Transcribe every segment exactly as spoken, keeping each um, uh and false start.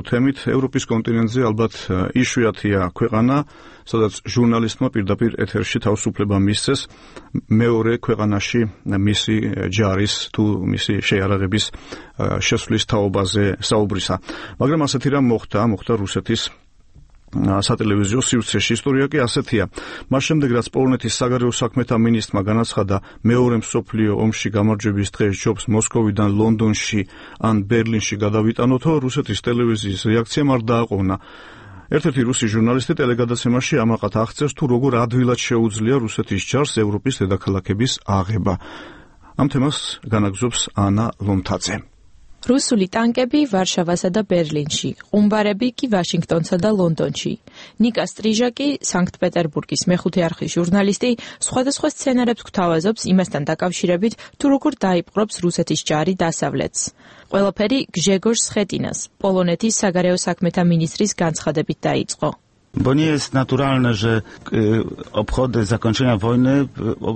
თემით. ევროპის კონტინენტზე ალბათ იშვიათია ქვეყანა, სადაც ჟურნალისტმა პირდაპირ ეთერში თავისუფლება მისცეს მეორე ქვეყანაში მისი ჯარის თუ მისი შეიარაღების შესვლის თაობაზე საუბრისა. მაგრამ ასეთი რამ მოხდა, მოხდა რუსეთის სატელევიზიო სივრცეში. ისტორია კი ასეთია. მას შემდეგ, რაც პოლონეთის საგარეო საქმეთა მინისტრმა განაცხადა მეორე მსოფლიო ომში გამარჯვების დღეს ჯობს მოსკოვიდან ლონდონში ან ბერლინში გადავიტანოთო, რუსეთის ტელევიზიის რეაქციამ არ დააყოვნა. ერთ-ერთი რუსი ჟურნალისტი ტელეგადაცემაში ამაყად აღწერს, თუ როგორ ადვილად შეუძლია რუსეთის ჯარს ევროპის დედაქალაქების აღება. ამ თემას განაგზობს ანა ლომთაძე. რუსული ტანკები ვარშავასა და ბერლინში, ყუმბარები კი ვაშინგტონსა და ლონდონში. ნიკა სტრიჟაკი, სანქტ-პეტერბურგის მეხუთე არხის ჟურნალისტი, სხვადასხვა სცენარებს გვთავაზობს იმასთან დაკავშირებით, თუ როგორ დაიპყრობს რუსეთის ჯარი დასავლეთს. ყველაფერი გჟეგორ სხეტინას, პოლონეთის საგარეო საქმეთა მინისტრის განცხადებით დაიწყო. Bo nie jest naturalne, że obchody zakończenia wojny...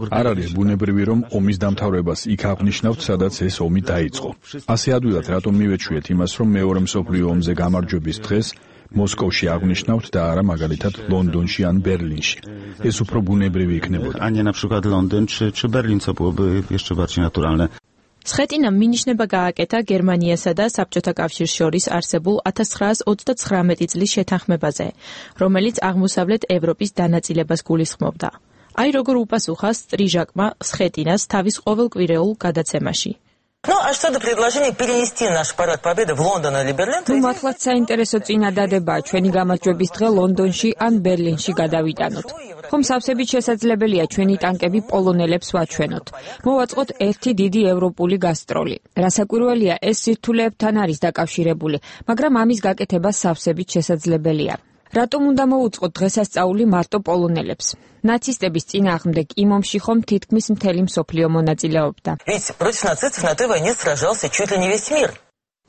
არ არის ბუნებრივი, რომ ომის დამთავრებას იქ აღნიშნავთ, სადაც ეს ომი დაიწყო. ასე ადვილად რატომ მივეჩვიეთ იმას, რომ მეორე მსოფლიო ომზე გამარჯვების დღეს მოსკოვში აღნიშნავთ და არა მაგალითად ლონდონში ან ბერლინში. ეს უფრო ბუნებრივი იქნებოდა. A nie na przykład Londyn czy, czy Berlin, co byłoby jeszcze bardziej naturalne. სხეტინამ მინიშნება გააკეთა გერმანიასა და საბჭოთა კავშირს შორის არსებულ ათას ცხრაას ოცდაცხრამეტი წლის შეთანხმებაზე, რომელიც აღმოსავლეთ ევროპის დანაწილებას გულისხმობდა. აი როგორ უპასუხა სტრიჟაკმა სხეტინას თავის ყოველკვირეულ გადაცემაში. Ну, а что до предложения перенести наш парад победы в Лондон или Берлин? Ну, მართლაც საინტერესო წინადადებაა ჩვენი გამარჯვების დღე ლონდონში ან ბერლინში გადავიტანოთ. ხომ სავსებით შესაძლებელია ჩვენი ტანკები პოლონელებს ვაჩვენოთ. მოვაწყოთ ერთი დიდი ევროპული გასტროლი. რასაკვირველია, ეს სირთულეებთან არის დაკავშირებული, მაგრამ ამის გაკეთება სავსებით შესაძლებელია. რატომ უნდა მოუწყოთ დღესასწაული მარტო პოლონელებს? ნაცისტების წინააღმდეგ იმ ომში ხომ თითქმის მთელი მსოფლიო მონაწილეობდა. Ведь против нацистов на той войне сражался чуть ли не весь мир.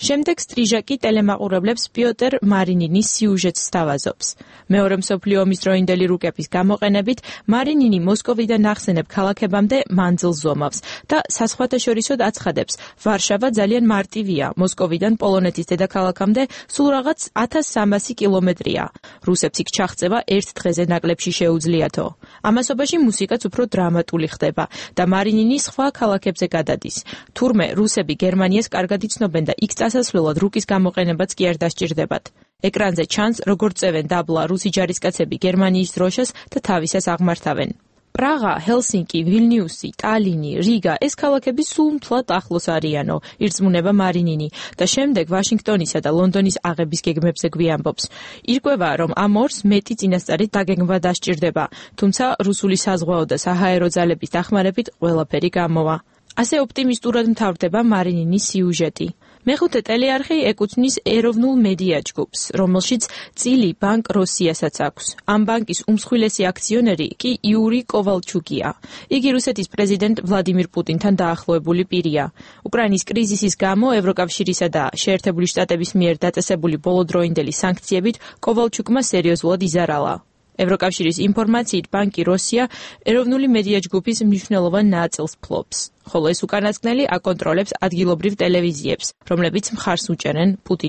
შემდეგ სტრიჟაკი ტელემაყურებლებს პიოტერ მარინინის სიუჟეტს სთავაზობს. მეორე მსოფლიო ომის დროინდელი რუკების გამოყენებით მარინინი მოსკოვიდან ახსენებ ქალაქებამდე მანძილს ზომავს და საზღვათაშორისოდ აცხადებს, ვარშავა ძალიან მარტივია, მოსკოვიდან პოლონეთის დედაქალაქამდე სულ რაღაც ათას სამასი კილომეტრია. რუსებს იქ ჩაღწევა ერთ დღეზე ნაკლებში შეუძლიათო. ამასობაში მუსიკაც უფრო დრამატული ხდება და მარინინი სხვა ქალაქებზე გადადის. თურმე რუსები გერმანიას კარგად იცნობენ და იქ ასასვლელად რუკის გამოყენებაც კი არ დასჭირდებათ. ეკრანზე ჩანს, როგორ წევენ დაბლა რუსი ჯარისკაცები გერმანიის დროშას და თავისას აღმართავენ. პრაღა, ჰელსინკი, ვილნიუსი, ტალინი, რიგა, ეს ქალაქები სულ მთლად ახლოს არიანო, ირწმუნება მარინინი და შემდეგ ვაშინგტონისა და ლონდონის აღების გეგმებზე გვიამბობს. ირკვევა, რომ ამ ორს მეტი წინასწარი დაგეგმვა დასჭირდება, თუმცა რუსული საზღვაო და საჰაერო ძალების დახმარებით ყველაფერი გამოვა. ასე ოპტიმისტურად მთავრდება მარინინის სიუჟეტი. მეხუთე ტელეარხი ეკუთვნის ეროვნულ მედია ჯგუფს, რომელშიც წილი ბანკ როსიასაც აქვს. ამ ბანკის უმსხვილესი აქციონერი კი იური კოვალჩუკია. იგი რუსეთის პრეზიდენტ ვლადიმირ პუტინთან დაახლოებული პირია. უკრაინის კრიზისის გამო ევროკავშირისა და შეერთებული შტატების მიერ დაწესებული ბოლოდროინდელი სანქციებით კოვალჩუკმა სერიოზულად იზარალა. ევროკავშირის ინფორმაციით ბანკი როსია ეროვნული მედია ჯგუფის მნიშვნელოვან ნაწილს ფლობს, ხოლო ეს უკანასკნელი აკონტროლებს ადგილობრივ ტელევიზიებს, რომლებიც მხარს უჭერენ პუტინის